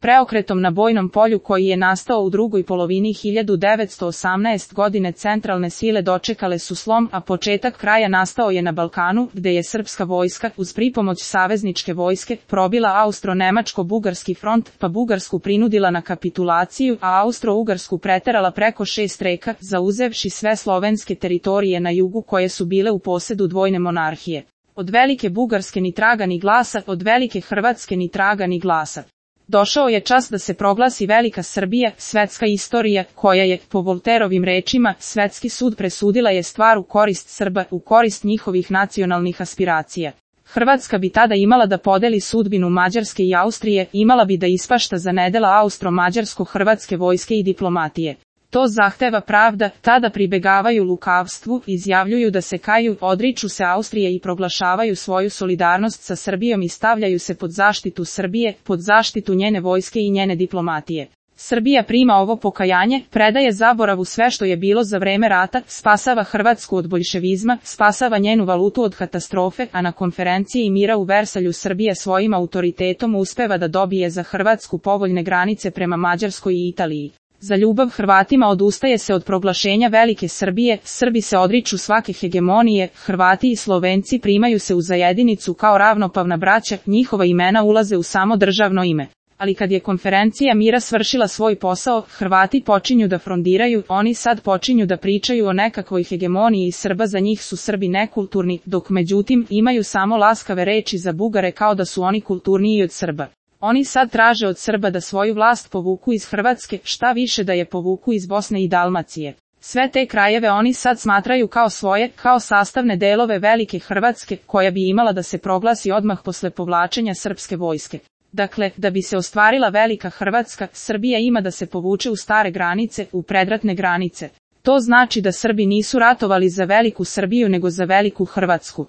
Preokretom na bojnom polju koji je nastao u drugoj polovini 1918. godine centralne sile dočekale su slom, a početak kraja nastao je na Balkanu, gde je srpska vojska, uz pripomoć savezničke vojske, probila austro-nemačko-bugarski front, pa Bugarsku prinudila na kapitulaciju, a Austro-Ugarsku preterala preko 6 reka, zauzevši sve slovenske teritorije na jugu koje su bile u posedu dvojne monarhije. Od velike Bugarske ni traga ni glasa, od velike Hrvatske ni traga ni glasa. Došao je čas da se proglasi velika Srbija, svetska istorija, koja je, po Volterovim rečima, svetski sud presudila je stvar u korist Srba, u korist njihovih nacionalnih aspiracija. Hrvatska bi tada imala da podeli sudbinu Mađarske i Austrije, imala bi da ispašta za nedela austro-mađarsko-hrvatske vojske i diplomatije. To zahteva pravda, tada pribegavaju lukavstvu, izjavljuju da se kaju, odriču se Austrije i proglašavaju svoju solidarnost sa Srbijom i stavljaju se pod zaštitu Srbije, pod zaštitu njene vojske i njene diplomatije. Srbija prima ovo pokajanje, predaje zaboravu sve što je bilo za vreme rata, spasava Hrvatsku od boljševizma, spasava njenu valutu od katastrofe, a na konferenciji mira u Versalju Srbija svojim autoritetom uspeva da dobije za Hrvatsku povoljne granice prema Mađarskoj i Italiji. Za ljubav Hrvatima odustaje se od proglašenja velike Srbije, Srbi se odriču svake hegemonije, Hrvati i Slovenci primaju se u zajedinicu kao ravnopravna braća, njihova imena ulaze u samo državno ime. Ali kad je konferencija mira svršila svoj posao, Hrvati počinju da frondiraju, oni sad počinju da pričaju o nekakvoj hegemoniji Srba, za njih su Srbi nekulturni, dok međutim imaju samo laskave reči za Bugare kao da su oni kulturniji od Srba. Oni sad traže od Srba da svoju vlast povuku iz Hrvatske, šta više da je povuku iz Bosne i Dalmacije. Sve te krajeve oni sad smatraju kao svoje, kao sastavne delove velike Hrvatske, koja bi imala da se proglasi odmah posle povlačenja srpske vojske. Dakle, da bi se ostvarila velika Hrvatska, Srbija ima da se povuče u stare granice, u predratne granice. To znači da Srbi nisu ratovali za veliku Srbiju nego za veliku Hrvatsku.